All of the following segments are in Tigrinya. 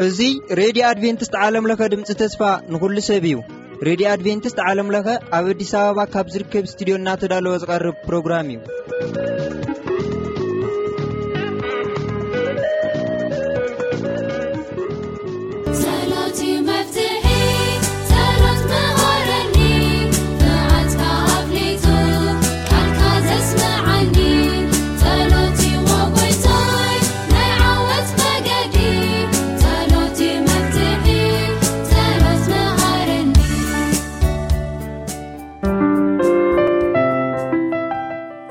እዚ ሬድዮ ኣድቬንቲስት ዓለም ለኸ ድምፂ ተስፋ ንኹሉ ሰብ እዩ። ሬድዮ ኣድቬንቲስት ዓለም ለኸ ኣብ ኣዲስ ኣበባ ካብ ዝርከብ ስቱዲዮ እናተዳለወ ዝቐርብ ፕሮግራም እዩ። ጸሎት እዩ መፍትሒ፣ ጸሎት መሃረኒ፣ መዓትካ ኣፍሊጡ፣ ቃልካ ዘስምዓኒ። ጸሎት እዩ ጎይታይ፣ ናይ ዓወት መገዲ፣ ጸሎት እዩ መፍትሒ፣ ጸሎት መሃረኒ።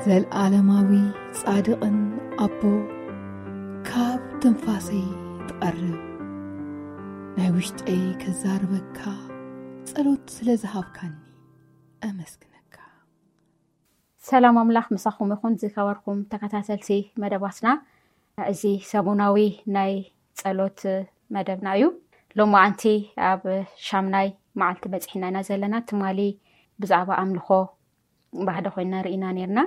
ዘልኣለማዊ ጻድቕን ኣቦ፣ ካብ ትንፋሰይ ትቐርብ፣ ናይ ውሽጠይ ከዛርበካ፣ ጸሎት ስለ ዝሃብካኒ ኣመስግነካ። ሰላም ኣምላኽ ምሳኹም ይኹን። ዝከበርኩም ተከታተልቲ መደባትና፣ እዚ ሰሙናዊ ናይ ጸሎት መደብና እዩ። ሎማዓንቲ ኣብ ሻምናይ መዓልቲ በጺሕና ኢና ዘለና። ትማሊ ብዛዕባ ኣምልኾ ብሓደ ኮይና ርኢና ነርና።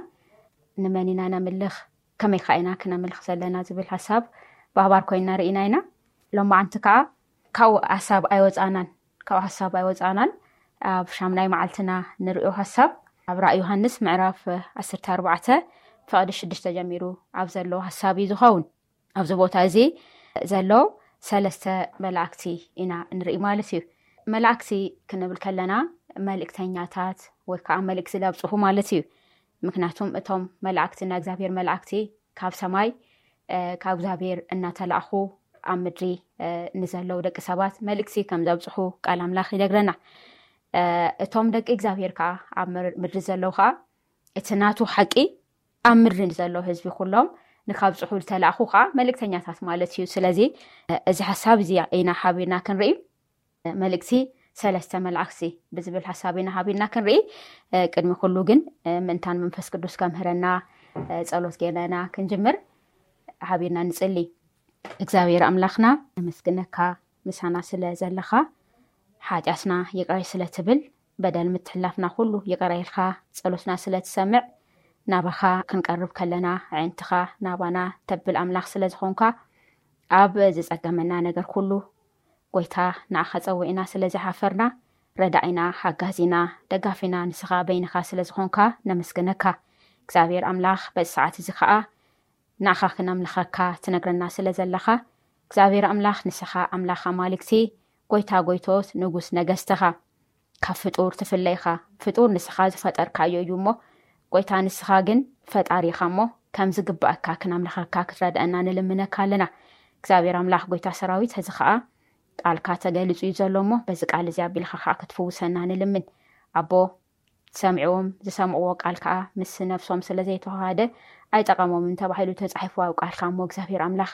ንመን ኢና ነምልኽ፣ ከመይ ከ ኢና ክነምልኽ ዘለና ዝብል ሓሳብ ብኣባር ኮይና ርኢና ኢና። ሎማዓንቲ ከዓ ካብኡ ሓሳብ ኣይወፃናን፣ ካብኡ ሓሳብ ኣይወፃናን። ኣብ ሻምናይ መዓልትና ንሪኦ ሓሳብ ኣብ ራእይ ዮሃንስ ምዕራፍ ዓሰርተ ኣርባዕተ ፍቕዲ ሽዱሽተ ጀሚሩ ኣብ ዘሎ ሓሳብ እዩ ዝኸውን። ኣብዚ ቦታ እዚ ዘሎ ሰለስተ መላእክቲ ኢና ንርኢ ማለት እዩ። መላእክቲ ክንብል ከለና መልእክተኛታት ወይ ከዓ መልእክቲ ዘብፅሑ ማለት እዩ። ምክንያቱም እቶም መላእክቲ ናይ እግዚኣብሔር መላእክቲ ካብ ሰማይ ካብ እግዚኣብሔር እናተላእኹ ኣብ ምድሪ ንዘለዉ ደቂ ሰባት መልእክቲ ከም ዘብፅሑ ቃል ኣምላኽ ይነግረና። እቶም ደቂ እግዚኣብሔር ከዓ ኣብ ምድሪ ዘለዉ ከዓ እቲ ናቱ ሓቂ ኣብ ምድሪ ንዘለዉ ህዝቢ ኩሎም ንካብፅሑ ዝተላእኹ ከዓ መልእክተኛታት ማለት እዩ። ስለዚ እዚ ሓሳብ እዚ ኢና ሓቢርና ክንርኢ። መልእክቲ ሰለስተ መላእክቲ ብዝብል ሓሳብ ኢና ሓቢርና ክንርኢ። ቅድሚ ኩሉ ግን ምእንታን መንፈስ ቅዱስ ከምህረና ጸሎት ጌርና ክንጅምር ሓቢርና ንጽሊ። እግዚኣብሔር ኣምላኽና ነመስግነካ፣ ምሳና ስለ ዘለኻ፣ ሓጢኣትና ይቕረ ስለ ትብል፣ በደል ምትሕላፍና ኩሉ ይቕረ ኢልካ ጸሎትና ስለ ትሰምዕ፣ ናባኻ ክንቀርብ ከለና ኣዒንትኻ ናባና ተብል ኣምላኽ ስለ ዝኾንካ፣ ኣብ ዝጸገመና ነገር ኩሉ ጎይታ ንዓኻ ጸዊዕና ስለ ዝሓፈርና፣ ረዳኢና፣ ሓጋዚና፣ ደጋፊና ንስኻ በይንኻ ስለ ዝኾንካ ነመስግነካ። እግዚኣብሔር ኣምላኽ በዚ ሰዓት እዚ ኸኣ ንዓኻ ክነምልኸካ ትነግረና ስለ ዘለኻ፣ እግዚኣብሔር ኣምላኽ ንስኻ ኣምላኽ ኣማልክቲ፣ ጎይታ ጎይቶት፣ ንጉስ ነገስት ኢኻ። ካብ ፍጡር ትፍለ ኢኻ። ፍጡር ንስኻ ዝፈጠርካዮ እዩ እሞ፣ ጎይታ ንስኻ ግን ፈጣሪ ኢኻ እሞ፣ ከም ዝግባኣካ ክነምልኸካ ክትረድኣና ንልምነካ ኣለና። እግዚኣብሔር ኣምላኽ ጎይታ ሰራዊት፣ ሕዚ ኸኣ ቃልካ ተገሊጹ እዩ ዘሎ እሞ፣ በዚ ቃል እዚ ኣቢልካ ኸኣ ክትፍውሰና ንልምን። ኣቦ፣ ሰሚዕዎም ዝሰምዕዎ ቃል ከኣ ምስ ነፍሶም ስለ ዘይተዋሃደ ኣይጠቐሞምን ተባሂሉ ተጻሒፉ ኣብ ቃልካ እሞ እግዚኣብሔር ኣምላኽ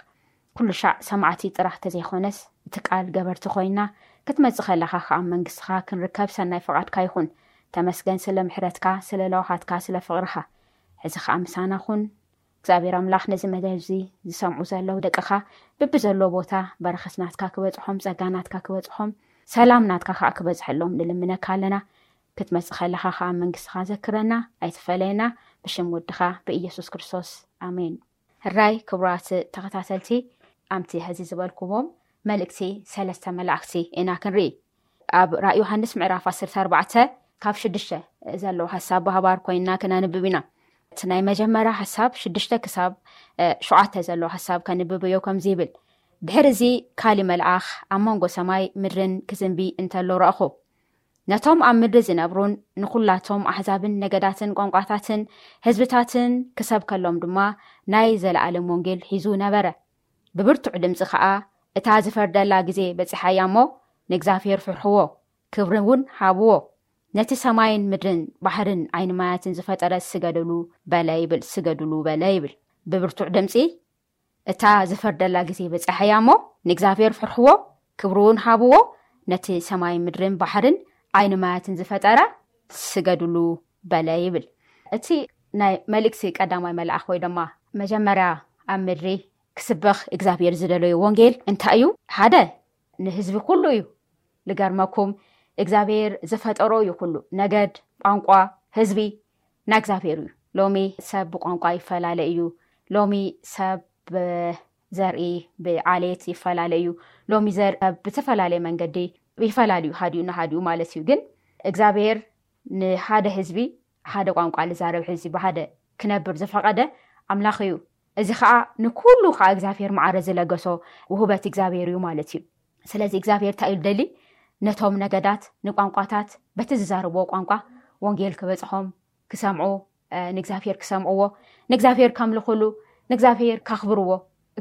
ኩሉ ሻዕ ሰማዕቲ ጥራሕ ተዘይኮነስ እቲ ቃል ገበርቲ ኮይና ክትመጽእ ከለኻ ከኣ መንግስትኻ ክንርከብ ሰናይ ፍቓድካ ይኹን። ተመስገን ስለ ምሕረትካ፣ ስለ ለዋሃትካ፣ ስለ ፍቕርኻ። ሕዚ ከኣ ምሳና ኩን። እግዚኣብሔር ኣምላኽ ነዚ መደብ እዚ ዝሰምዑ ዘለዉ ደቅኻ ብብዘለዎ ቦታ በረኸት ናትካ ክበጽሖም፣ ጸጋ ናትካ ክበጽሖም፣ ሰላም ናትካ ከኣ ክበጽሐሎም ንልምነካ ኣለና። ክትመጽእ ከለኻ ከኣ መንግስትኻ ዘክረና፣ ኣይትፈለየና። ብሽም ወድኻ ብኢየሱስ ክርስቶስ ኣሜን። ሕራይ ክቡራት ተኸታተልቲ፣ ኣምቲ ሕዚ ዝበልኩዎም መልእክቲ ሰለስተ መላእክቲ ኢና ክንርኢ። ኣብ ራእይ ዮሃንስ ምዕራፍ ዓሰርተ ኣርባዕተ ካብ ሽዱሽተ ዘለዎ ሓሳብ ብሃባር ኮይንና ክነንብብ ኢና። እቲ ናይ መጀመርያ ሓሳብ ሽዱሽተ ክሳብ ሸውዓተ ዘለዎ ሓሳብ ከንብብ እዮ ከምዚ ይብል። ድሕሪ እዚ ካሊ መልኣኽ ኣብ መንጎ ሰማይ ምድርን ክዝንቢ እንተሎ ረእኹ። ነቶም ኣብ ምድሪ ዝነብሩን ንኹላቶም ኣሕዛብን ነገዳትን ቋንቋታትን ህዝብታትን ክሰብከሎም ድማ ናይ ዘለኣለም ወንጌል ሒዙ ነበረ። ብብርቱዕ ድምፂ ኸዓ፣ እታ ዝፈርደላ ግዜ በፂሓ እያ እሞ፣ ንእግዚኣብሔር ፍርሕዎ፣ ክብሪ እውን ሃብዎ። ነቲ ሰማይን ምድርን ባሕርን ዓይኒ ማያትን ዝፈጠረ ስገድሉ በለ ይብል፣ ስገድሉ በለ ይብል። ብብርቱዕ ድምፂ፣ እታ ዝፈርደላ ግዜ በፂሓ እያ እሞ፣ ንእግዚኣብሔር ፍርሕዎ፣ ክብሪ እውን ሃብዎ። ነቲ ሰማይን ምድርን ባሕርን ዓይኒ ማያትን ዝፈጠረ ስገድሉ በለ ይብል። እቲ ናይ መልእክቲ ቀዳማይ መልኣኽ ወይ ድማ መጀመርያ ኣብ ምድሪ ክስበኽ እግዚኣብሔር ዝደለዮ ወንጌል እንታይ እዩ? ሓደ ንህዝቢ ኩሉ እዩ። ልገርመኩም፣ እግዚኣብሔር ዝፈጠሮ እዩ ኩሉ፣ ነገድ፣ ቋንቋ፣ ህዝቢ፣ ናይ እግዚኣብሔር እዩ። ሎሚ ሰብ ብቋንቋ ይፈላለ እዩ። ሎሚ ሰብ ብዘርኢ፣ ብዓሌት ይፈላለ እዩ። ሎሚ ዘር ብዝተፈላለየ መንገዲ ይፈላለዩ፣ ሃዲኡ ንሃዲኡ ማለት እዩ። ግን እግዚኣብሔር ንሓደ ህዝቢ፣ ሓደ ቋንቋ ልዛረብ ህዝቢ ብሓደ ክነብር ዝፈቐደ ኣምላኽ እዩ። እዚ ከዓ ንኩሉ ከዓ እግዚኣብሔር ማዕረ ዝለገሶ ውህበት እግዚኣብሔር እዩ ማለት እዩ። ስለዚ እግዚኣብሔር እንታይ እዩ ደሊ? ነቶም ነገዳት፣ ንቋንቋታት በቲ ዝዛረብዎ ቋንቋ ወንጌል ክበፅሖም፣ ክሰምዑ፣ ንእግዚኣብሔር ክሰምዕዎ፣ ንእግዚኣብሔር ከምልኹሉ፣ ንእግዚኣብሔር ከኽብርዎ፣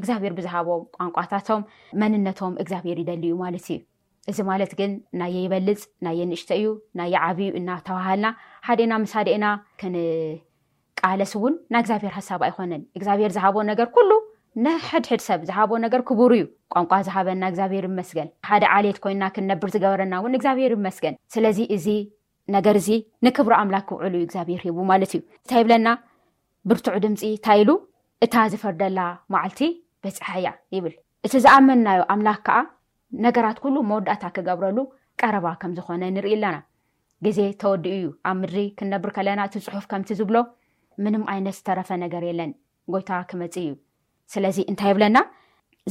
እግዚኣብሔር ብዝሃቦም ቋንቋታቶም መንነቶም እግዚኣብሔር ይደሊ እዩ ማለት እዩ። እዚ ማለት ግን ናየ ይበልፅ፣ ናየ ንእሽተ እዩ፣ ናየ ዓብዩ እናተባሃልና ሓዴና ምስ ሓዴና ክንቃለስ እውን ናይ እግዚኣብሔር ሓሳብ ኣይኮነን። እግዚኣብሔር ዝሃቦ ነገር ኩሉ ንሕድሕድ ሰብ ዝሃቦ ነገር ክቡር እዩ። ቋንቋ ዝሃበና እግዚኣብሔር ይመስገን። ሓደ ዓሌት ኮይና ክንነብር ዝገበረና እውን እግዚኣብሔር ይመስገን። ስለዚ እዚ ነገር እዚ ንክብሪ ኣምላክ ክውዕሉ እዩ እግዚኣብሔር ሂቡ ማለት እዩ። እንታይ ይብለና? ብርቱዕ ድምፂ እንታይ ኢሉ? እታ ዝፈርደላ መዓልቲ በፂሓ እያ ይብል። እቲ ዝኣመንናዮ ኣምላክ ከዓ ነገራት ኩሉ መወዳእታ ክገብረሉ ቀረባ ከም ዝኾነ ንርኢ ኣለና። ግዜ ተወዲኡ እዩ። ኣብ ምድሪ ክንነብር ከለና እቲ ፅሑፍ ከምቲ ዝብሎ ምንም ዓይነት ዝተረፈ ነገር የለን። ጎይታ ክመፅእ እዩ። ስለዚ እንታይ ይብለና?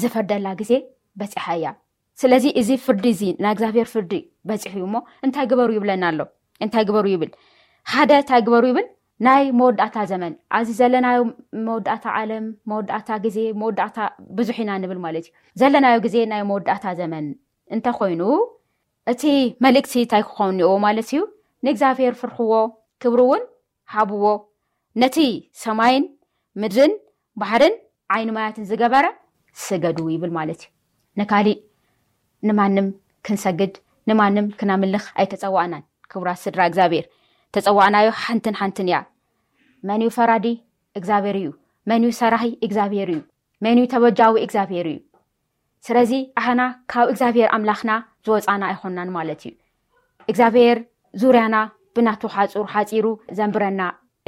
ዝፈርደላ ግዜ በፂሓ እያ። ስለዚ እዚ ፍርዲ እዚ ናይ እግዚኣብሔር ፍርዲ በፂሑ እዩ እሞ እንታይ ግበሩ ይብለና ኣሎ? እንታይ ግበሩ ይብል? ሓደ እንታይ ግበሩ ይብል? ናይ መወዳእታ ዘመን፣ ኣዚ ዘለናዮ መወዳእታ ዓለም፣ መወዳእታ ግዜ፣ መወዳእታ ብዙሕ ኢና ንብል ማለት እዩ። ዘለናዮ ግዜ ናይ መወዳእታ ዘመን እንተኾይኑ እቲ መልእክቲ እንታይ ክኸውን እኒኦ ማለት እዩ? ንእግዚኣብሔር ፍርሕዎ፣ ክብሪ እውን ሃብዎ። ነቲ ሰማይን ምድርን ባሕርን ዓይኒ ማያትን ዝገበረ ስገዱ ይብል ማለት እዩ። ንካሊእ ንማንም ክንሰግድ ንማንም ክናምልኽ ኣይተጸዋዕናን። ክቡራት ስድራ እግዚኣብሔር፣ ተጸዋዕናዮ ሓንትን ሓንትን እያ። መን እዩ ፈራዲ? እግዚኣብሔር እዩ። መን እዩ ሰራሒ? እግዚኣብሔር እዩ። መን እዩ ተበጃዊ? እግዚኣብሔር እዩ። ስለዚ ኣሕና ካብ እግዚኣብሔር ኣምላኽና ዝወፃና ኣይኮናን ማለት እዩ። እግዚኣብሔር ዙርያና ብናቱ ሓፁር ሓፂሩ ዘንብረና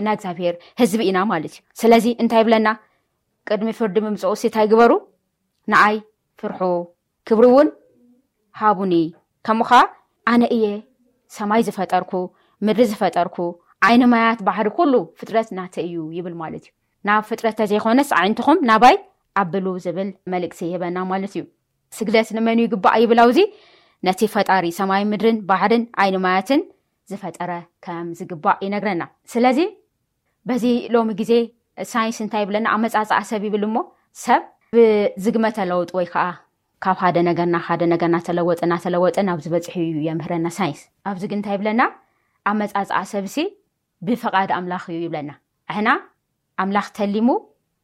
ናይ እግዚኣብሔር ህዝቢ ኢና ማለት እዩ። ስለዚ እንታይ ይብለና? ቅድሚ ፍርዲ ምምፅኡ ሲ እንታይ ግበሩ? ንዓይ ፍርሑ፣ ክብሪ እውን ሃቡኒ። ከምኡ ኸዓ ኣነ እየ ሰማይ ዝፈጠርኩ፣ ምድሪ ዝፈጠርኩ፣ ዓይኒ ማያት ባሕሪ ኩሉ ፍጥረት ናተ እዩ ይብል ማለት እዩ። ናብ ፍጥረት ተዘይኮነስ ኣዒንትኹም ናባይ ኣብሉ ዝብል መልእክቲ ይህበና ማለት እዩ። ስግደት ንመን ይግባእ ይብል ኣብዚ? ነቲ ፈጣሪ ሰማይ ምድርን ባሕርን ዓይኒ ማያትን ዝፈጠረ ከም ዝግባእ ይነግረና። ስለዚ በዚ ሎሚ ግዜ ሳይንስ እንታይ ይብለና? ኣመጻጽኣ ሰብ ይብል እሞ ሰብ ብዝግመተ ለውጥ ወይ ከዓ ካብ ሓደ ነገር ናብ ሓደ ነገር እናተለወጠ እናተለወጠ ናብ ዝበፅሕ እዩ የምህረና ሳይንስ። ኣብዚ ግን እንታይ ይብለና? ኣመጻጽኣ ሰብሲ ብፍቓድ ኣምላኽ እዩ ይብለና። ኣሕና ኣምላኽ ተሊሙ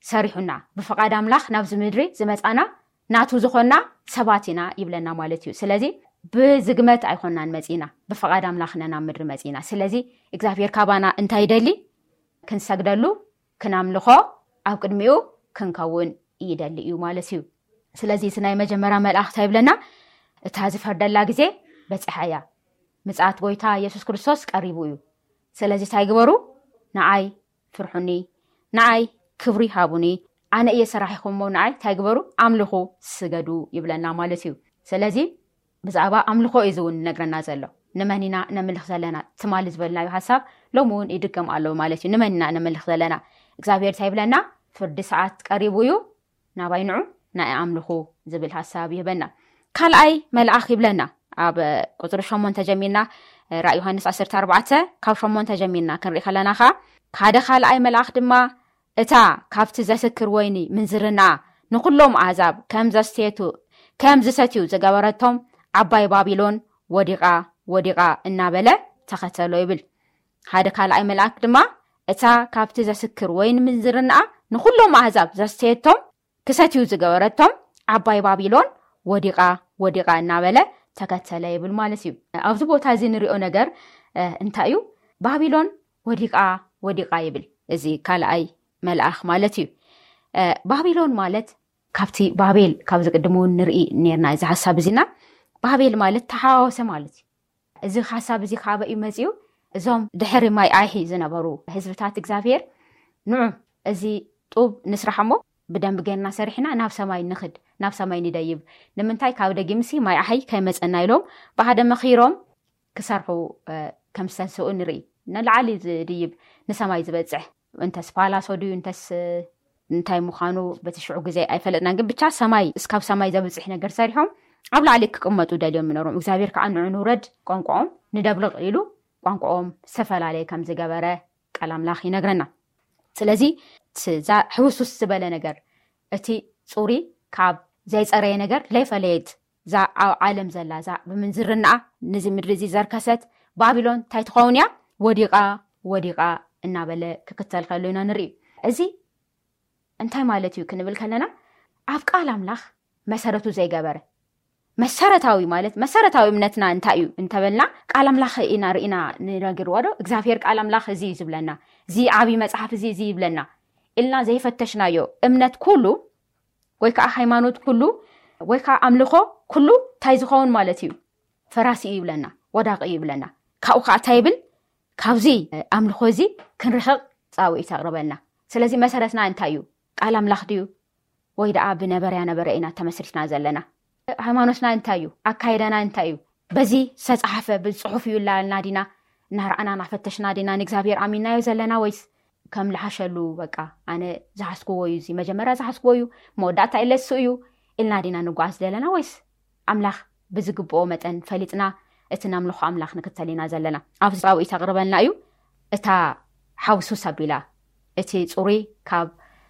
ሰሪሑና፣ ብፍቓድ ኣምላኽ ናብዚ ምድሪ ዝመጻና ናቱ ዝኾንና ሰባት ኢና ይብለና ማለት እዩ። ስለዚ ብዝግመት ኣይኮናን መጺና፣ ብፍቓድ ኣምላኽ ኢና ናብ ምድሪ መጺና። ስለዚ እግዚኣብሔር ካባና እንታይ ይደሊ? ክንሰግደሉ፣ ክናምልኾ፣ ኣብ ቅድሚኡ ክንከውን ይደሊ እዩ ማለት እዩ። ስለዚ እቲ ናይ መጀመርያ መልኣኽ እንታይ ይብለና? እታ ዝፈርደላ ግዜ በጺሓ እያ። ምጽኣት ጎይታ የሱስ ክርስቶስ ቀሪቡ እዩ። ስለዚ እንታይ ግበሩ? ንዓይ ፍርሑኒ፣ ንዓይ ክብሪ ሃቡኒ፣ ኣነ እየ ሰራሒኹም እሞ ንዓይ እንታይ ግበሩ? ኣምልኹ፣ ስገዱ ይብለና ማለት እዩ። ስለዚ ብዛዕባ ኣምልኾ እዩ እዚ እውን ነግረና ዘሎ። ንመን ኢና ነምልኽ ዘለና? ትማሊ ዝበልናዮ ሓሳብ ሎሚ እውን ይድገም ኣሎ ማለት እዩ። ንመን ኢና ነምልኽ ዘለና? እግዚኣብሔር እንታይ ይብለና? ፍርዲ ሰዓት ቀሪቡ እዩ፣ ናባይ ንዑ፣ ንዓይ ኣምልኹ ዝብል ሓሳብ ይህበና። ካልኣይ መልኣኽ ይብለና። ኣብ ቁፅሪ ሸሞንተ ጀሚርና፣ ራእይ ዮሃንስ ዓሰርተ ኣርባዕተ ካብ ሸሞንተ ጀሚርና ክንርኢ ከለና ኸዓ፣ ሓደ ካልኣይ መልኣኽ ድማ እታ ካብቲ ዘስክር ወይኒ ምንዝርና ንኹሎም ኣህዛብ ከም ዘስትየቱ፣ ከም ዝሰትዩ ዝገበረቶም ዓባይ ባቢሎን ወዲቓ፣ ወዲቓ እናበለ ተኸተሎ ይብል። ሓደ ካልኣይ መልኣክ ድማ እታ ካብቲ ዘስክር ወይኒ ምንዝርናኣ ንኹሎም ኣህዛብ ዘስተየቶም ክሰትዩ ዝገበረቶም ዓባይ ባቢሎን ወዲቓ፣ ወዲቓ እናበለ ተከተለ ይብል ማለት እዩ። ኣብዚ ቦታ እዚ ንሪኦ ነገር፣ እ፣ እንታይ እዩ? ባቢሎን ወዲቓ፣ ወዲቓ ይብል። እዚ ካልኣይ መልኣኽ ማለት እዩ። እ፣ ባቢሎን ማለት ካብቲ ባቤል፣ ካብዚ ቅድም እውን ንርኢ ነርና እዚ ሓሳብ እዚና፣ ባቤል ማለት ተሓዋወሰ ማለት እዩ። እዚ ሓሳብ እዚ ካበይ እዩ መጺኡ? እዞም ድሕሪ ማይ ኣይሒ ዝነበሩ ህዝብታት እግዚኣብሔር፣ ንዑ፣ እዚ ጡብ ንስራሕ እሞ ብደንቢ ጌርና ሰሪሕና ናብ ሰማይ ንኽድ፣ ናብ ሰማይ ንደይብ። ንምንታይ? ካብ ደጊምሲ ማይ ኣሕይ ከይመጸና ኢሎም ብሓደ መኺሮም ክሰርሑ፣ እ፣ ከም ዝተንስኡ ንርኢ። ንላዕሊ ዝድይብ፣ ንሰማይ ዝበፅሕ፣ እንተስ ፓላሶ ድዩ እንተስ እንታይ ምዃኑ በቲ ሽዑ ግዜ ኣይፈለጥናን። ግን ብቻ ሰማይ እስካብ ሰማይ ዘብፅሕ ነገር ሰሪሖም ኣብ ላዕሊ ክቅመጡ ደልዮም ምኖሮም። እግዚኣብሔር ከዓ ንዑ ንውረድ ቋንቋኦም ንደብልቕ ኢሉ ቋንቋኦም ዝተፈላለየ ከም ዝገበረ ቃል ኣምላኽ ይነግረና። ስለዚ እዛ ሕውሱስ ዝበለ ነገር፣ እቲ ፁሪ ካብ ዘይፀረየ ነገር ለይፈለየት፣ እዛ ኣብ ዓለም ዘላ፣ እዛ ብምንዝርናኣ ነዚ ምድሪ እዚ ዘርከሰት ባቢሎን እንታይ ትኸውን እያ? ወዲቓ፣ ወዲቓ እናበለ ክክተል ከሎ ኢና ንርኢ። እዚ እንታይ ማለት እዩ ክንብል ከለና፣ ኣብ ቃል ኣምላኽ መሰረቱ ዘይገበረ መሰረታዊ፣ ማለት መሰረታዊ እምነትና እንታይ እዩ እንተበልና፣ ቃል ኣምላኽ ኢና ርኢና ንነግርዎ ዶ እግዚኣብሔር ቃል ኣምላኽ እዚ እዩ ዝብለና፣ እዚ ዓብይ መፅሓፍ እዚ እዚ ይብለና ኢልና ዘይፈተሽናዮ እምነት ኩሉ ወይ ከዓ ሃይማኖት ኩሉ ወይ ከዓ ኣምልኾ ኩሉ እንታይ ዝኸውን ማለት እዩ? ፈራሲ እዩ ይብለና፣ ወዳቂ እዩ ይብለና። ካብኡ ከዓ እንታይ ይብል? ካብዚ ኣምልኾ እዚ ክንርሕቕ ፃውዒት ኣቕርበልና። ስለዚ መሰረትና እንታይ እዩ? ቃል ኣምላኽ ድዩ? ወይ ደኣ ብነበረያ ነበረ ኢና ተመስሪትና ዘለና? ሃይማኖትና እንታይ እዩ? ኣካይዳና እንታይ እዩ? በዚ ዝተፃሓፈ ብፅሑፍ እዩ ላልና ዲና እናረኣና እናፈተሽና ዲና ንእግዚኣብሔር ኣሚናዮ ዘለና? ወይስ ከም ልሓሸሉ በቃ ኣነ ዝሓስክዎ እዩ፣ እዚ መጀመርያ ዝሓስክዎ እዩ፣ መወዳእታ ኢለሱ እዩ ኢልና ዲና ንጓዓዝ ዘለና? ወይስ ኣምላኽ ብዝግብኦ መጠን ፈሊጥና እቲ ነምልኾ ኣምላኽ ንክተል ኢና ዘለና? ኣብዚ ፃውዒት ኣቕርበልና እዩ። እታ ሓውሱስ ኣቢላ እቲ ፅሩይ ካብ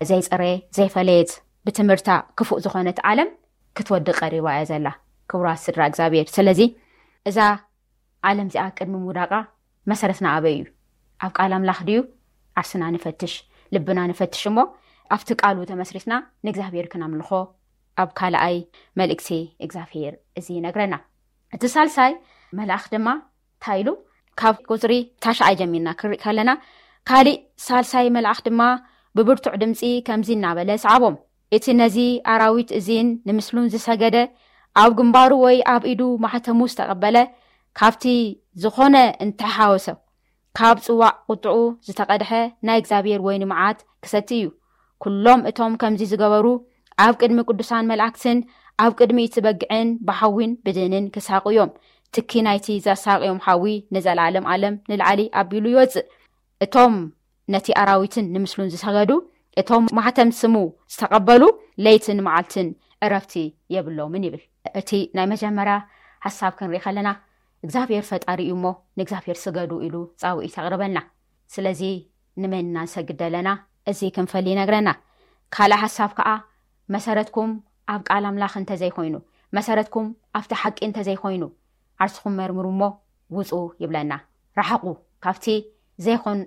ዘይፀረየ ዘይፈለየት ብትምህርታ ክፉእ ዝኾነት ዓለም ክትወዲ ቀሪባ እያ ዘላ። ክቡራት ስድራ እግዚኣብሔር፣ ስለዚ እዛ ዓለም እዚኣ ቅድሚ ምውዳቃ መሰረትና ኣበይ እዩ? ኣብ ቃል ኣምላኽ ድዩ? ዓርስና ንፈትሽ፣ ልብና ንፈትሽ እሞ ኣብቲ ቃሉ ተመስሪትና ንእግዚኣብሔር ክነምልኾ ኣብ ካልኣይ መልእክቲ እግዚኣብሔር እዚ ይነግረና። እቲ ሳልሳይ መልኣኽ ድማ እንታይ ኢሉ? ካብ ቁፅሪ ታሽዓይ ጀሚርና ክርኢ ከለና፣ ካሊእ ሳልሳይ መልኣኽ ድማ ብብርቱዕ ድምፂ ከምዚ እናበለ ሰዓቦም፣ እቲ ነዚ ኣራዊት እዚን ንምስሉን ዝሰገደ፣ ኣብ ግንባሩ ወይ ኣብ ኢዱ ማሕተሙ ዝተቐበለ፣ ካብቲ ዝኾነ እንተሓወሰ፣ ካብ ጽዋዕ ቁጥዑ ዝተቐድሐ ናይ እግዚኣብሔር ወይኒ መዓት ክሰቲ እዩ። ኩሎም እቶም ከምዚ ዝገበሩ ኣብ ቅድሚ ቅዱሳን መላእክትን ኣብ ቅድሚ እቲ በግዕን ብሓዊን ብድንን ክሳቑ እዮም። ትኪ ናይቲ ዘሳቕዮም ሓዊ ንዘለዓለም ዓለም ንላዕሊ ኣቢሉ ይወጽእ። እቶም ነቲ ኣራዊትን ንምስሉን ዝሰገዱ፣ እቶም ማሕተም ስሙ ዝተቐበሉ ለይትን መዓልትን ዕረፍቲ የብሎምን ይብል። እቲ ናይ መጀመርያ ሓሳብ ክንርኢ ከለና እግዚኣብሔር ፈጣሪ እዩ እሞ ንእግዚኣብሔር ስገዱ ኢሉ ጻውዒት ኣቕርበልና። ስለዚ ንመን ኢና ንሰግድ ዘለና? እዚ ክንፈሊ ይነግረና። ካልእ ሓሳብ ከኣ መሰረትኩም ኣብ ቃል ኣምላኽ እንተዘይኮይኑ፣ መሰረትኩም ኣብቲ ሓቂ እንተዘይኮይኑ ዓርስኹም መርምሩ እሞ ውጹ ይብለና። ረሓቑ ካብቲ ዘይኮን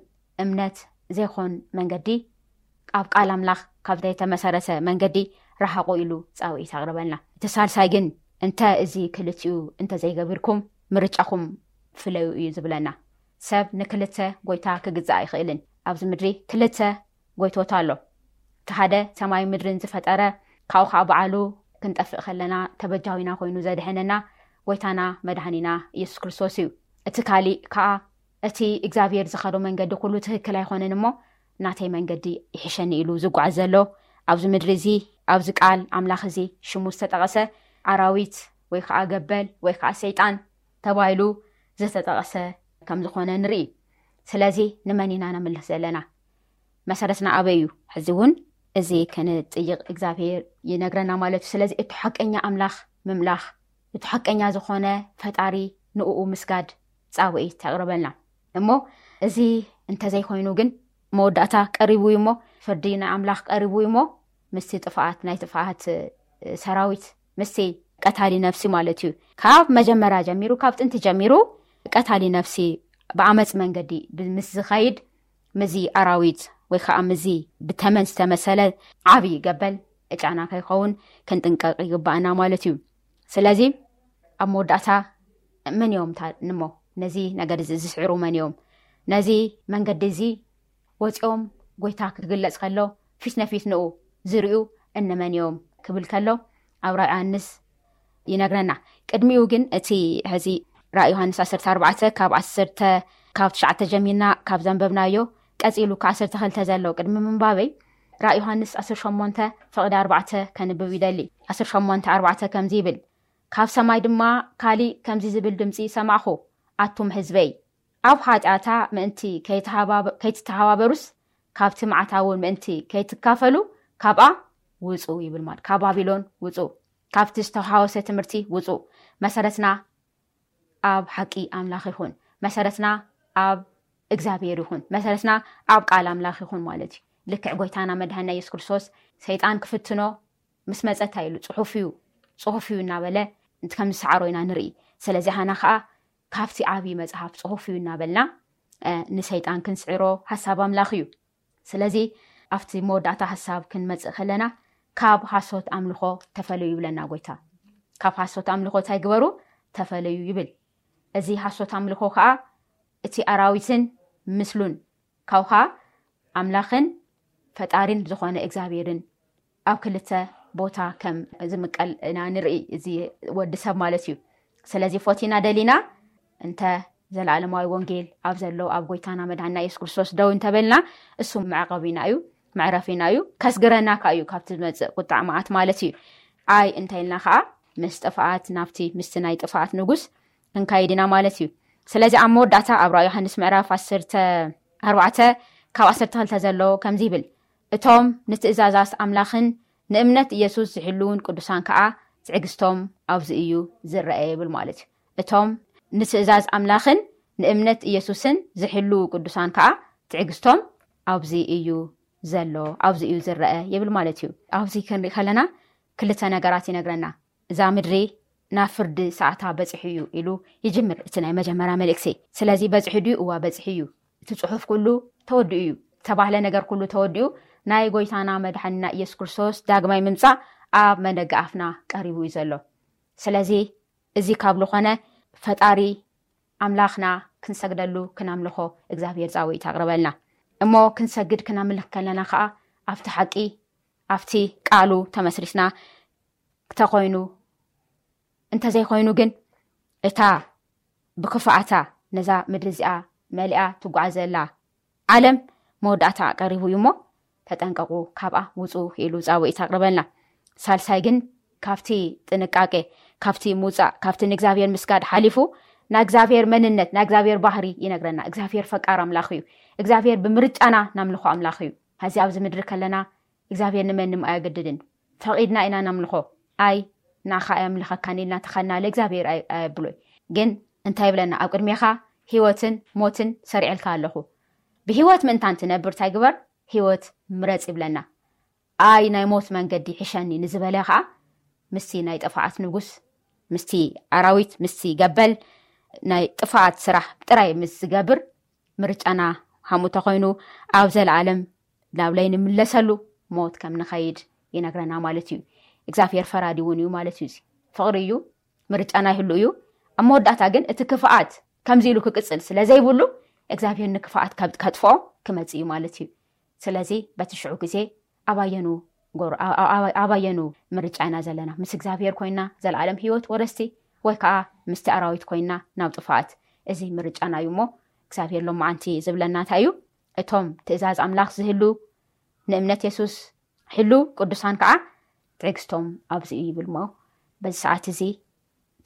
እምነት ዘይኮን መንገዲ፣ ኣብ ቃል ኣምላኽ ካብ ዘይተመሰረተ መንገዲ ረሓቑ ኢሉ ጻውዒት ኣቕርበልና። እቲ ሳልሳይ ግን እንተ እዚ ክልቲኡ እንተዘይገቢርኩም ምርጫኹም ፍለዩ እዩ ዝብለና። ሰብ ንክልተ ጎይታ ክግዛእ ኣይኽእልን። ኣብዚ ምድሪ ክልተ ጎይቶት ኣሎ። እቲ ሓደ ሰማይ ምድርን ዝፈጠረ፣ ካብኡ ከዓ በዓሉ ክንጠፍእ ከለና ተበጃዊና ኮይኑ ዘድሐነና ጎይታና መድሃኒና ኢየሱስ ክርስቶስ እዩ። እቲ ካሊእ ከዓ እቲ እግዚኣብሔር ዝኸዶ መንገዲ ኩሉ ትክክል ኣይኮነን እሞ ናተይ መንገዲ ይሕሸኒ ኢሉ ዝጓዓዝ ዘሎ ኣብዚ ምድሪ እዚ ኣብዚ ቃል ኣምላኽ እዚ ሽሙ ዝተጠቐሰ ኣራዊት ወይ ከዓ ገበል ወይ ከዓ ሰይጣን ተባሂሉ ዝተጠቐሰ ከም ዝኾነ ንርኢ። ስለዚ ንመን ኢና ነምልኽ ዘለና? መሰረትና ኣበይ እዩ? ሕዚ እውን እዚ ክንጥይቕ እግዚኣብሔር ይነግረና ማለት እዩ። ስለዚ እቲ ሓቀኛ ኣምላኽ ምምላኽ፣ እቲ ሓቀኛ ዝኾነ ፈጣሪ ንእኡ ምስጋድ ጻውዒት ተቕርበልና። እሞ እዚ እንተዘይኮይኑ ግን መወዳእታ ቀሪቡ እዩ እሞ፣ ፍርዲ ናይ ኣምላኽ ቀሪቡ እዩ እሞ፣ ምስቲ ጥፍኣት ናይ ጥፍኣት ሰራዊት ምስቲ ቀታሊ ነፍሲ ማለት እዩ። ካብ መጀመርያ ጀሚሩ፣ ካብ ጥንቲ ጀሚሩ ቀታሊ ነፍሲ ብኣመፅ መንገዲ ምስ ዝኸይድ ምዚ ኣራዊት ወይ ከዓ ምዚ ብተመን ዝተመሰለ ዓብዪ ገበል ጫና ከይኸውን ክንጥንቀቕ ይግባኣና ማለት እዩ። ስለዚ ኣብ መወዳእታ መን እዮም እሞ ነዚ ነገር እዚ ዝስዕሩ? መን እዮም? ነዚ መንገዲ እዚ ወፂኦም ጎይታ ክግለፅ ከሎ ፊት ነፊት ንኡ ዝርእዩ እነመን እዮም ክብል ከሎ ኣብ ራእይ ዮሃንስ ይነግረና። ቅድሚኡ ግን እቲ ሕዚ ራእይ ዮሃንስ ዓሰርተ ኣርባዕተ ካብ ዓሰርተ ካብ ትሽዓተ ጀሚርና ካብ ዘንበብናዮ ቀፂሉ ካብ ዓሰርተ ክልተ ዘሎ ቅድሚ ምንባበይ ራእይ ዮሃንስ ዓሰርተ ሸሞንተ ፍቕዲ ኣርባዕተ ከንብብ ይደሊ። ዓሰርተ ሸሞንተ ኣርባዕተ ከምዚ ይብል፣ ካብ ሰማይ ድማ ካሊእ ከምዚ ዝብል ድምፂ ሰማዕኹ፣ ኣቱም ህዝበይ፣ ኣብ ሓጢኣታ ምእንቲ ከይተሃባበ- ከይትተሃባበሩስ፣ ካብቲ መዓታ እውን ምእንቲ ከይትካፈሉ፣ ካብኣ ውፁ ይብል። ማለት ካብ ባቢሎን ውፁ፣ ካብቲ ዝተሃወሰ ትምህርቲ ውፁ። መሰረትና ኣብ ሓቂ ኣምላኽ ይኹን። መሰረትና ኣብ እግዚኣብሔር ይኹን። መሰረትና ኣብ ቃል ኣምላኽ ይኹን ማለት እዩ። ልክዕ ጎይታና መድሃና የሱስ ክርስቶስ ሰይጣን ክፍትኖ ምስ መጸ እንታይ ኢሉ? ጽሑፍ እዩ፣ ጽሑፍ እዩ እናበለ ከም ዝሰዓሮ ኢና ንርኢ። ስለዚ ሃና ከኣ ካብቲ ዓብዪ መጽሓፍ ጽሑፍ እዩ እናበልና ንሰይጣን ክንስዕሮ ሓሳብ ኣምላኽ እዩ። ስለዚ ኣብቲ መወዳእታ ሓሳብ ክንመጽእ ከለና ካብ ሓሶት ኣምልኾ ተፈለዩ ይብለና ጎይታ። ካብ ሓሶት ኣምልኾ እንታይ ግበሩ? ተፈለዩ ይብል። እዚ ሓሶት ኣምልኾ ከኣ እቲ ኣራዊትን ምስሉን ካብኡ ከኣ ኣምላኽን ፈጣሪን ዝኾነ እግዚኣብሔርን ኣብ ክልተ ቦታ ከም ዝምቀል ኢና ንርኢ። እዚ ወዲ ሰብ ማለት እዩ። ስለዚ ፎቲና ደሊና እንተ ዘለዓለማዊ ወንጌል ኣብ ዘሎ ኣብ ጎይታና መድሓንና የሱስ ክርስቶስ ደው እንተበልና እሱ መዕቐቢና እዩ፣ መዕረፊና እዩ፣ ከስግረና ከኣ እዩ ካብቲ ዝመጽእ ቁጣዕ መዓት ማለት እዩ። ኣይ እንተ ኢልና ከኣ ምስ ጥፍኣት ናብቲ ምስቲ ናይ ጥፍኣት ንጉስ ክንካይድ ኢና ማለት እዩ። ስለዚ ኣብ መወዳእታ ኣብ ራእይ ዮሃንስ ምዕራፍ ዓሰርተ ኣርባዕተ ካብ ዓሰርተ ክልተ ዘሎ ከምዚ ይብል፣ እቶም ንትእዛዛት ኣምላኽን ንእምነት ኢየሱስ ዝሕልውን ቅዱሳን ከኣ ትዕግስቶም ኣብዚ እዩ ዝረአ ይብል ማለት እዩ። እቶም ንትእዛዝ ኣምላኽን ንእምነት ኢየሱስን ዝሕልው ቅዱሳን ከኣ ትዕግስቶም ኣብዚ እዩ ዘሎ፣ ኣብዚ እዩ ዝረአ ይብል ማለት እዩ። ኣብዚ ክንርኢ ከለና ክልተ ነገራት ይነግረና። እዛ ምድሪ ናብ ፍርዲ ሰዓታ በጺሑ እዩ ኢሉ ይጅምር እቲ ናይ መጀመርያ መልእክቲ። ስለዚ በጺሑ ድዩ? እዋ በጺሑ እዩ። እቲ ጽሑፍ ኩሉ ተወዲኡ እዩ። ዝተባህለ ነገር ኩሉ ተወዲኡ ናይ ጎይታና መድሓንና ኢየሱስ ክርስቶስ ዳግማይ ምምጻእ ኣብ መደገ ኣፍና ቀሪቡ እዩ ዘሎ። ስለዚ እዚ ካብ ዝኾነ ፈጣሪ ኣምላኽና ክንሰግደሉ ክነምልኾ እግዚኣብሔር ጻውዒት ኣቕርበልና። እሞ ክንሰግድ ክነምልኽ ከለና ከኣ ኣብቲ ሓቂ ኣብቲ ቃሉ ተመስሪትና ተኾይኑ፣ እንተዘይኮይኑ ግን እታ ብክፍኣታ ነዛ ምድሪ እዚኣ መሊኣ ትጓዓዘላ ዓለም መወዳእታ ቀሪቡ እዩ እሞ ተጠንቀቁ፣ ካብኣ ውፁ ኢሉ ጻውዒት ኣቕርበልና። ሳልሳይ ግን ካብቲ ጥንቃቄ፣ ካብቲ ምውፃእ፣ ካብቲ ንእግዚኣብሔር ምስጋድ ሓሊፉ ናይ እግዚኣብሔር መንነት፣ ናይ እግዚኣብሔር ባህሪ ይነግረና። እግዚኣብሔር ፈቃር ኣምላኽ እዩ። እግዚኣብሔር ብምርጫና ናምልኾ ኣምላኽ እዩ። ሕዚ ኣብዚ ምድሪ ከለና እግዚኣብሔር ንመንም ኣየገድድን። ፈቒድና ኢና ነምልኾ። ኣይ ንዓኻ ኣየምልኸካን ኢልና ተኸናለ እግዚኣብሔር ኣይ- ኣየብሎይ። ግን እንታይ ይብለና? ኣብ ቅድሜኻ ህይወትን ሞትን ሰሪዐልካ ኣለኹ። ብህይወት ምእንታን ትነብር እንታይ ግበር? ህይወት ምረጽ ይብለና። ኣይ ናይ ሞት መንገዲ ሕሸኒ ንዝበለ ኸዓ ምስቲ ናይ ጥፍኣት ንጉስ፣ ምስቲ ኣራዊት፣ ምስቲ ገበል ናይ ጥፍኣት ስራሕ ጥራይ ምስ ዝገብር ምርጫና ሃምኡ ተኾይኑ ኣብ ዘለኣለም ናብ ለይንምለሰሉ ሞት ከም ንኸይድ ይነግረና ማለት እዩ። እግዚኣብሔር ፈራዲ እውን እዩ ማለት እዩ። እዚ ፍቕሪ እዩ፣ ምርጫና ይህሉ እዩ። ኣብ መወዳእታ ግን እቲ ክፍኣት ከምዚ ኢሉ ክቅጽል ስለ ዘይብሉ እግዚኣብሔር ንክፍኣት ካብ- ከጥፍኦ ክመጽእ እዩ ማለት እዩ። ስለዚ በቲ ሽዑ ግዜ ኣባየኑ ጎር- ኣ- ኣ- ኣባየኑ ምርጫ ኢና ዘለና? ምስ እግዚኣብሔር ኮይና ዘለኣለም ህይወት ወረስቲ ወይ ከዓ ምስቲ ኣራዊት ኮይና ናብ ጥፍኣት? እዚ ምርጫና እዩ እሞ እግዚኣብሔር ሎማዓንቲ ዝብለና እንታይ እዩ? እቶም ትእዛዝ ኣምላኽ ዝህሉ ንእምነት የሱስ ሕሉ ቅዱሳን ከዓ ትዕግስቶም ኣብዚ እዩ ይብል እሞ በዚ ሰዓት እዚ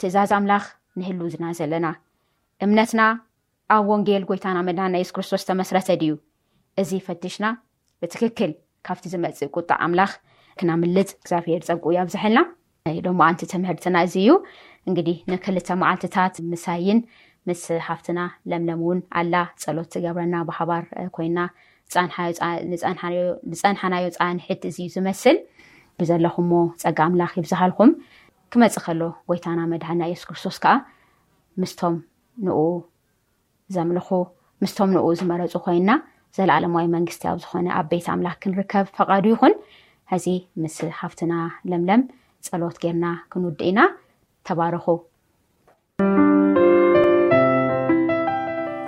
ትእዛዝ ኣምላኽ ንህሉ ዝና ዘለና እምነትና ኣብ ወንጌል ጎይታና መድሃና የሱስ ክርስቶስ ተመስረተ ድዩ? እዚ ፈትሽና ብትክክል ካብቲ ዝመጽእ ቁጣ ኣምላኽ ክናምልጥ እግዚኣብሔር ጸጉ ያብዝሐልና። ሎማዓንቲ ትምህርትና እዚ እዩ። እንግዲህ ንክልተ መዓልትታት ምሳይን ምስ ሓፍትና ለምለም እውን ኣላ ጸሎት ትገብረና ብሓባር ኮይና ዝጸንሓናዮ ጻንሒት እዚ ዝመስል ብዘለኹሞ ጸጋ ኣምላኽ ይብዝሃልኩም። ክመጽእ ከሎ ጎይታና መድሓና የሱስ ክርስቶስ ከኣ ምስቶም ንኡ ዘምልኹ ምስቶም ንኡ ዝመረጹ ኮይና ዘለዓለማዊ መንግስቲ ኣብ ዝኾነ ኣብ ቤት ኣምላኽ ክንርከብ ፈቓዱ ይኹን። ሕዚ ምስ ሓፍትና ለምለም ጸሎት ጌርና ክንውድእ ኢና። ተባረኹ።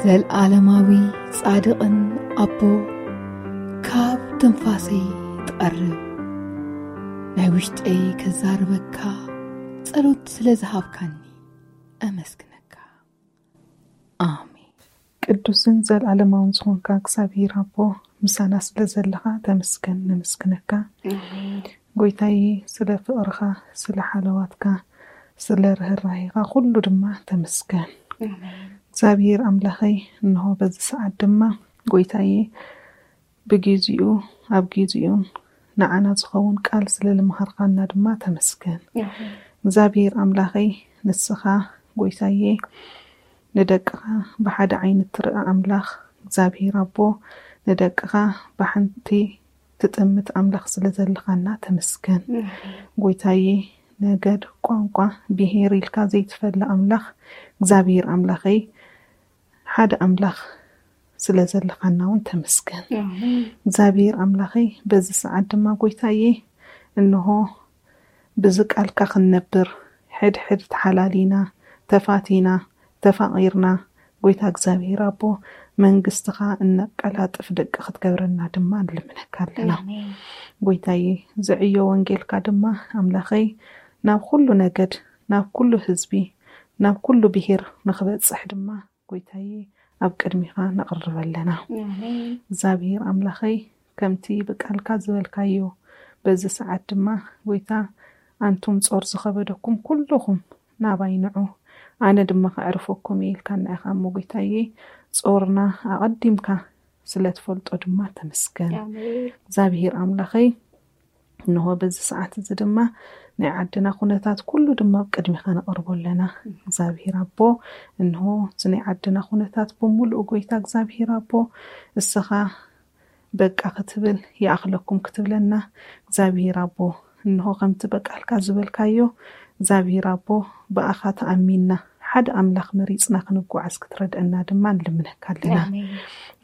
ዘልዓለማዊ ጻድቕን ኣቦ ካብ ትንፋሰይ ትቐርብ ናይ ውሽጠይ ከዛርበካ ጸሎት ስለ ዝሃብካኒ ኣመስግነካ። ኣሜን። ቅዱስን ዘልዓለማውን ዝኾንካ እግዚኣብሔር ኣቦ ምሳና ስለ ዘለኻ ተመስገን፣ ነመስግነካ። ጎይታይ ስለ ፍቕርኻ፣ ስለ ሓለዋትካ፣ ስለ ርህራሄኻ ኩሉ ድማ ተመስገን። እግዚኣብሔር ኣምላኸይ፣ እንሆ በዚ ሰዓት ድማ ጎይታዬ፣ ብጊዜኡ ኣብ ጊዜኡን ንዓና ዝኸውን ቃል ስለ ልምሃርካና ድማ ተመስገን። እግዚኣብሔር ኣምላኸይ፣ ንስኻ ጎይታዬ፣ ንደቅኻ ብሓደ ዓይኒ እትርኢ ኣምላኽ፣ እግዚኣብሔር ኣቦ፣ ንደቅኻ ብሓንቲ ትጥምት ኣምላኽ ስለ ዘለኻና ተመስገን። ጎይታዬ፣ ነገድ፣ ቋንቋ፣ ብሄር ኢልካ ዘይትፈሊ ኣምላኽ፣ እግዚኣብሔር ኣምላኸይ፣ ሓደ ኣምላኽ ስለ ዘለኻና እውን ተመስገን። እግዚኣብሔር ኣምላኸይ፣ በዚ ሰዓት ድማ ጎይታዬ፣ እንሆ ብዚ ቃልካ ክንነብር፣ ሕድሕድ ተሓላሊና፣ ተፋቲና፣ ተፋቒርና፣ ጎይታ እግዚኣብሔር ኣቦ፣ መንግስትኻ እነቀላጥፍ ደቂ ክትገብረና ድማ ንልምነካ ኣለና። ጎይታዬ፣ ዝዕዮ ወንጌልካ ድማ ኣምላኸይ፣ ናብ ኩሉ ነገድ፣ ናብ ኩሉ ህዝቢ፣ ናብ ኩሉ ብሄር ንኽበጽሕ ድማ ጎይታዬ፣ ኣብ ቅድሚኻ ነቕርብ ኣለና። እግዚኣብሔር ኣምላኸይ፣ ከምቲ ብቃልካ ዝበልካዮ፣ በዚ ሰዓት ድማ ጎይታ፣ ኣንቱም ጾር ዝኸበደኩም ኩልኹም ናባይ ንዑ፣ ኣነ ድማ ከዕርፈኩም እየ ኢልካና ኢኻ እሞ ጎይታዬ፣ ጾርና ኣቐዲምካ ስለ ትፈልጦ ድማ ተመስገን። እግዚኣብሔር ኣምላኸይ፣ እንሆ በዚ ሰዓት እዚ ድማ ናይ ዓድና ኩነታት ኩሉ ድማ ኣብ ቅድሚኻ ነቕርቦ ኣለና። እግዚኣብሔር ኣቦ፣ እንሆ እዚ ናይ ዓድና ኩነታት ብምሉኡ ጎይታ እግዚኣብሔር ኣቦ፣ እስኻ በቃ ክትብል፣ ይኣኽለኩም ክትብለና እግዚኣብሔር ኣቦ፣ እንሆ ከምቲ በቃልካ ዝበልካዮ እግዚኣብሔር ኣቦ፣ ብኣኻ ተኣሚንና ሓደ ኣምላኽ መሪጽና ክንጓዓዝ ክትረድአና ድማ ንልምነካ ኣለና።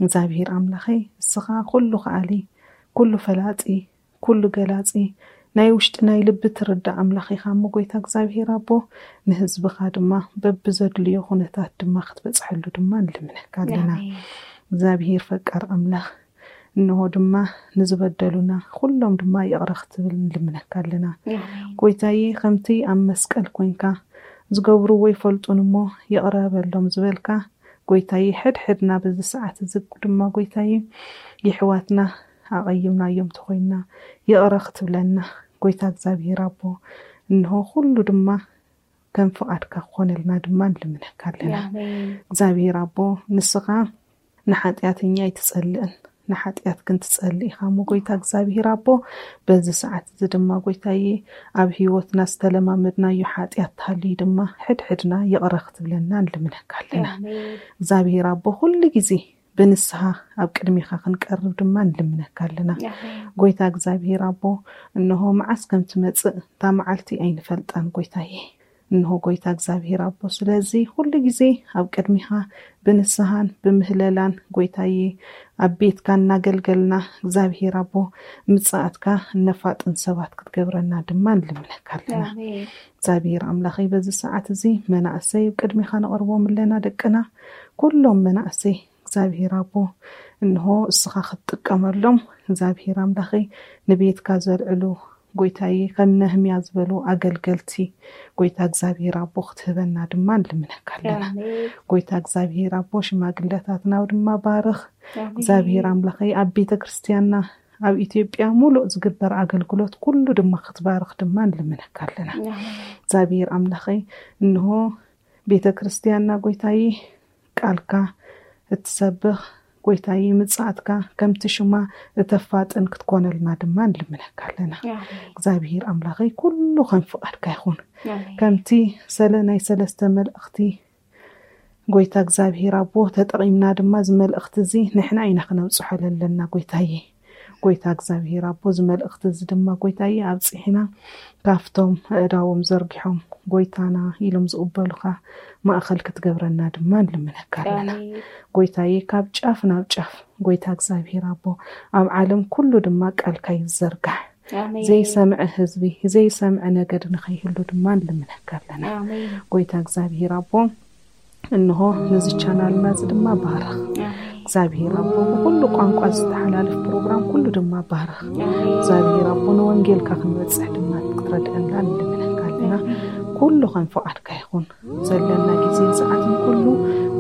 እግዚኣብሔር ኣምላኸይ፣ እስኻ ኩሉ ከኣሊ፣ ኩሉ ፈላጢ፣ ኩሉ ገላጺ፣ ናይ ውሽጢ ናይ ልቢ ትርዳእ ኣምላኽ ኢኻ እሞ ጎይታ እግዚኣብሔር ኣቦ፣ ንህዝብኻ ድማ በብዘድልዮ ኩነታት ድማ ክትበጽሐሉ ድማ ንልምነካ ኣለና። እግዚኣብሔር ፈቃር ኣምላኽ፣ እንሆ ድማ ንዝበደሉና ኩሎም ድማ ይቕረ ክትብል ንልምነካ ኣለና። ጎይታዬ፣ ከምቲ ኣብ መስቀል ኮንካ፣ ዝገብርዎ ይፈልጡን እሞ ይቕረ በሎም ዝበልካ፣ ጎይታዬ፣ ሕድሕድና በዚ ሰዓት እዚ ድማ ጎይታዬ፣ የሕዋትና ኣቐይምናዮም ተኾይንና፣ ይቕረ ክትብለና፣ ጎይታ እግዚኣብሔር ኣቦ፣ እንሆ ኩሉ ድማ ከም ፍቓድካ ክኾነልና ድማ ንልምነካ ኣለና። እግዚኣብሔር ኣቦ፣ ንስኻ ንሓጢኣተኛ ኣይትጸልእን፣ ንሓጢኣት ግን ትጸልእ ኢኻ እሞ ጎይታ እግዚኣብሔር ኣቦ፣ በዚ ሰዓት እዚ ድማ ጎይታዬ፣ ኣብ ህይወትና ዝተለማመድናዮ ሓጢኣት ተሃልዩ ድማ ሕድሕድና ይቕረ ክትብለና ንልምነካ ኣለና። እግዚኣብሔር ኣቦ፣ ኩሉ ግዜ ብንስሃ ኣብ ቅድሚኻ ክንቀርብ ድማ ንልምነካ ኣለና። ጎይታ እግዚኣብሔር ኣቦ፣ እንሆ መዓስ ከም ትመጽእ እታ መዓልቲ ኣይንፈልጣን ጎይታዬ። እንሆ ጎይታ እግዚኣብሔር ኣቦ፣ ስለዚ ኩሉ ግዜ ኣብ ቅድሚኻ ብንስሃን ብምህለላን ጎይታዬ ኣብ ቤትካ እናገልገልና እግዚኣብሔር ኣቦ ምጽኣትካ እነፋጥን ሰባት ክትገብረና ድማ ንልምነካ ኣለና። እግዚኣብሔር ኣምላኸይ በዚ ሰዓት እዚ መናእሰይ ኣብ ቅድሚኻ ነቕርቦም ኣለና ደቅና ኩሎም መናእሰይ እግዚኣብሔር ኣቦ እንሆ እስኻ ክትጥቀመሎም እግዚኣብሔር ኣምላኸይ ንቤትካ ዘልዕሉ ጎይታዬ ከም ነህምያ ዝበሉ ኣገልገልቲ ጎይታ እግዚኣብሔር ኣቦ ክትህበና ድማ ንልምነካ ኣለና። ጎይታ እግዚኣብሔር ኣቦ ሽማግለታትና ድማ ባርኽ እግዚኣብሔር ኣምላኸይ ኣብ ቤተ ክርስቲያንና ኣብ ኢትዮጵያ ሙሉእ ዝግበር ኣገልግሎት ኩሉ ድማ ክትባርኽ ድማ ንልምነካ ኣለና። እግዚኣብሔር ኣምላኸይ እንሆ ቤተ ክርስቲያንና ጎይታዬ ቃልካ እትሰብኽ ጎይታዬ ምጽኣትካ ከምቲ ሽማ እተፋጥን ክትኮነልና ድማ ንልምነካ ኣለና። እግዚኣብሔር ኣምላኸይ ኩሉ ከም ፍቓድካ ይኹን። ከምቲ ሰለ ናይ ሰለስተ መልእኽቲ ጎይታ እግዚኣብሔር ኣቦ ተጠቒምና ድማ እዚ መልእኽቲ እዚ ንሕና ኢና ክነብጽሖ ዘለና ጎይታዬ። ጎይታ እግዚኣብሔር ኣቦ እዚ መልእኽቲ እዚ ድማ ጎይታዬ ኣብጺሕና ካብቶም ኣእዳዎም ዘርጊሖም ጎይታና ኢሎም ዝቕበሉኻ ማእኸል ክትገብረና ድማ ንልምነካ ኣለና። ጎይታዬ ካብ ጫፍ ናብ ጫፍ ጎይታ እግዚኣብሔር ኣቦ ኣብ ዓለም ኩሉ ድማ ቃልካ ይዘርጋሕ። ዘይሰምዐ ህዝቢ ዘይሰምዐ ነገድ ንኸይህሉ ድማ ንልምነካ ኣለና። ጎይታ እግዚኣብሔር ኣቦ እንሆ ነዚ ቻናልና እዚ ድማ ባርኽ እግዚኣብሔር ኣቦ ብኩሉ ቋንቋ ዝተሓላልፍ ፕሮግራም ኩሉ ድማ ባርኽ እግዚኣብሔር ኣቦ ንወንጌልካ ክንበፅሕ ድማ ክትረድአና ንልምነካ ኣለና። ኩሉ ከም ፍቓድካ ይኹን ዘለና ግዜ ሰዓትን ኩሉ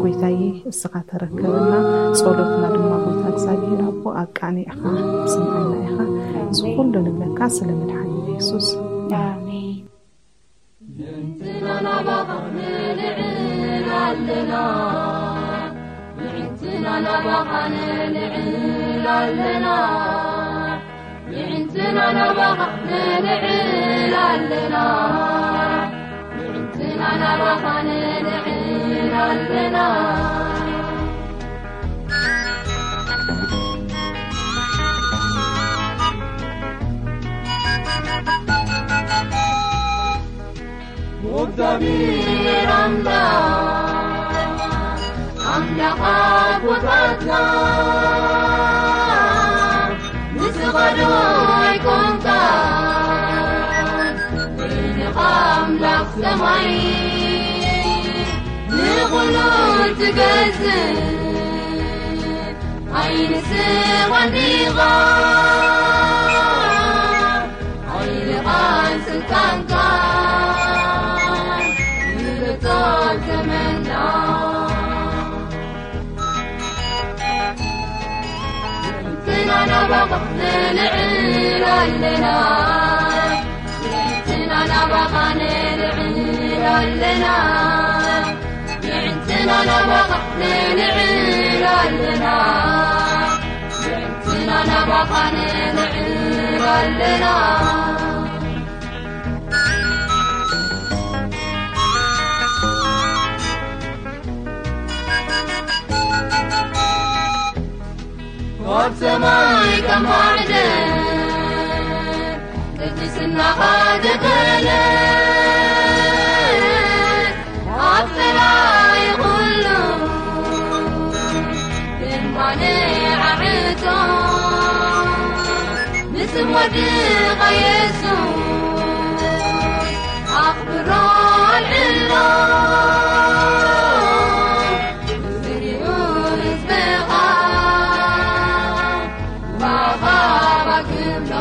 ጎይታዬ እስኻ ተረከበና። ጸሎትና ድማ ጎይታ እግዚኣብሔር ኣቦ ኣቃኒዕኻ ስምዓና ኢኻ። እዚ ኩሉ ንብለካ ስለ መድሓኒ የሱስ ኣሜን። ድምፅና ናባኻ ንልዕል ኣለና። ናባኻ ንልዕል ኣለና። የዕንትና ናባኻ ንልዕል ኣለና። የዕንትና ናባኻ ንልዕል ኣለና። እግዚኣብሔር ኣምላኽ፣ ኣምላኽ ኣቦታትና፣ ንስኻ ዶ ኣይኮንካን በይንኻ ኣምላኽ ሰማይ ንኹሉ ትገዝእ? ኣይንስኻን ዲኻ ሓይልኻን ስልጣንካን ንብጾት ዘመንና። ንሕንትና ናባኻ ንልዕል ኣለና። ንሕንትና ናባኻ ንልዕል ኣለና። ንሕንትና ናባኻ ንልዕል ኣለና። ንሕንትና ናባኻ ንልዕል ኣለና። ካብ ሰማይ ከም ማዕደ ቅድስናኻ ተገለ። ኣብ ጸላኢ ኩሉ ድማ ንዓዕቶ ንስም ወድኻ የሱስ ኣኽብሮ ኣልዕሎ። ዝሪኡ ህዝብኻ ብኣኻባ ክብሎ።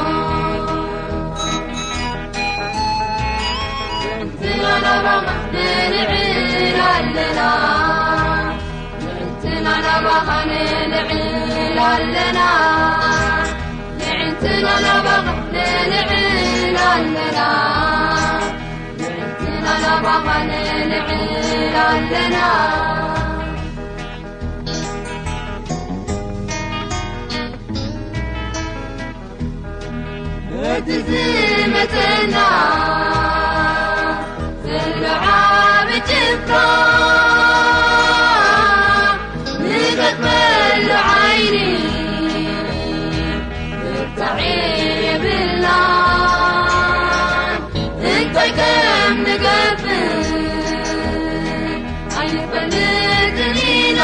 ንሕንትና ናባኻ ንልዕል ኣለና። ንሕንትና ናባኻ ንልዕል ኣለና። ንሕንትና ናባኻ ንልዕል ኣለና። ንሕንትና ናባኻ ንልዕል ኣለና። ነቲ ዝመጸና ዘሎ ዓቢ ጭፍራ ንገጥመሉ ዓይኒ ብርታዕ የብልናን። እንታይ ከም ንገብር ኣይንፈልጥን ኢና።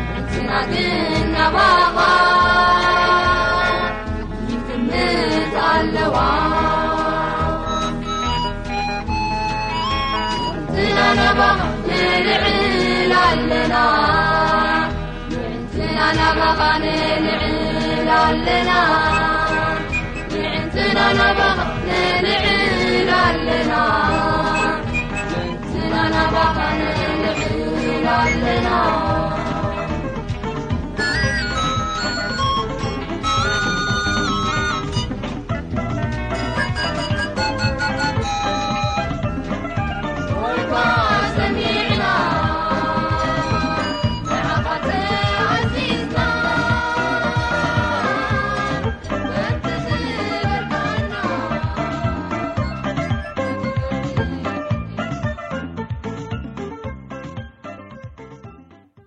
ንሕንትና ግን ናባኻ ይጥምት ኣለዋ። ንሕንትና ናባኻ ንልዕል ኣለና። ንሕንትና ናባኻ ንልዕል ኣለና። ንሕንትና ናባኻ ንልዕል ኣለና። ንሕንትና ናባኻ ንልዕል ኣለና።